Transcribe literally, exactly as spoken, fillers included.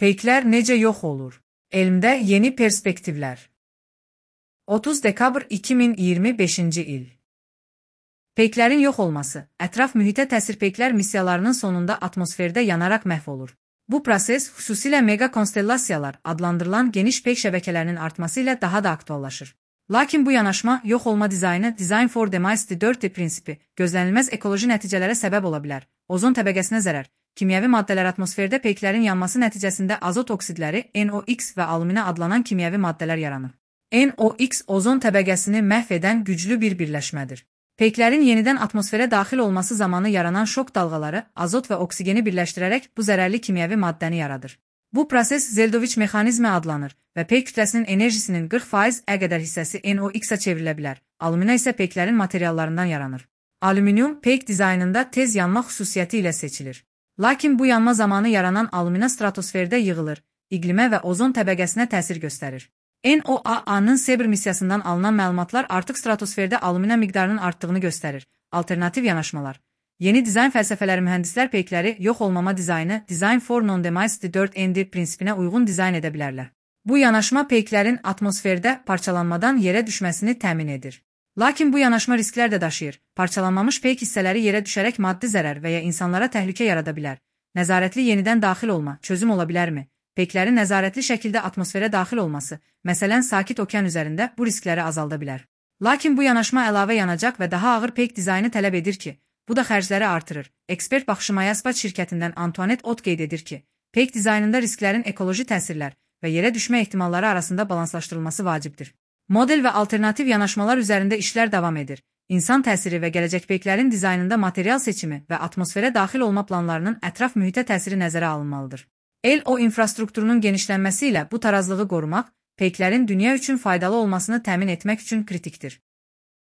Peyklər necə yox olur? Elmdə yeni perspektivlər. otuz dekabr iki min iyirmi beşinci il. Peyklərin yox olması, ətraf mühitə təsir. Peyklər missiyalarının sonunda atmosferdə yanaraq məhv olur. Bu proses xüsusilə mega konstellasiyalar adlandırılan geniş peyk şəbəkələrinin artması ilə daha da aktuallaşır. Lakin bu yanaşma yox olma dizaynı Design for Demise dörd D prinsipi gözlənilməz ekoloji nəticələrə səbəb ola bilər. Ozon təbəqəsinə zərər. Kimyəvi maddələr atmosferdə peyklərin yanması nəticəsində azot oksidləri N O X və alüminə adlanan kimyəvi maddələr yaranır. N O X ozon təbəqəsini məhv edən güclü bir birləşmədir. Peyklərin yenidən atmosferə daxil olması zamanı yaranan şok dalğaları azot və oksigeni birləşdirərək bu zərərli kimyəvi maddəni yaradır. Bu proses Zeldovich mexanizmi adlanır və peyk kütləsinin enerjisinin qırx faiz ə qədər hissəsi N O X-ə çevrilə bilər. Alümina isə peyklərin materiallarından yaranır. Alüminium peyk dizaynında tez yanma xüsusiyyəti ilə seçilir. Lakin bu yanma zamanı yaranan alümina stratosferdə yığılır, iqlimə və ozon təbəqəsinə təsir göstərir. N O A A-nın Sebr missiyasından alınan məlumatlar artıq stratosferdə alümina miqdarının artdığını göstərir. Alternativ yanaşmalar. Yeni dizayn fəlsəfələri mühəndislər peykləri yox olmama dizaynı Design for Non-Demise dörd D prinsipinə uyğun dizayn edə bilərlər. Bu yanaşma peyklərin atmosferdə parçalanmadan yerə düşməsini təmin edir. Lakin bu yanaşma risklər də daşıyır. Parçalanmamış peyk hissələri yerə düşərək maddi zərər və ya insanlara təhlükə yarada bilər. Nəzarətli yenidən daxil olma çözüm ola bilərmi? Peyklərin nəzarətli şəkildə atmosferə daxil olması, məsələn Sakit Okean üzərində bu riskləri azalda bilər. Lakin bu yanaşma əlavə yanacaq və daha ağır peyk dizaynı tələb edir ki, bu da xərcləri artırır. Ekspert baxışı Mayaspat şirkətindən Antoinette Ott qeyd edir ki, peyk dizaynında risklərin ekoloji təsirlər və yerə düşmə ehtimalları arasında balanslaşdırılması vacibdir. Model və alternativ yanaşmalar üzərində işlər davam edir. İnsan təsiri və gələcək peyklərin dizaynında material seçimi və atmosferə daxil olma planlarının ətraf mühitə təsiri nəzərə alınmalıdır. L O infrastrukturunun genişlənməsi ilə bu tarazlığı qorumaq, peyklərin dünya üçün faydalı olmasını təmin etmək üçün kritikdir.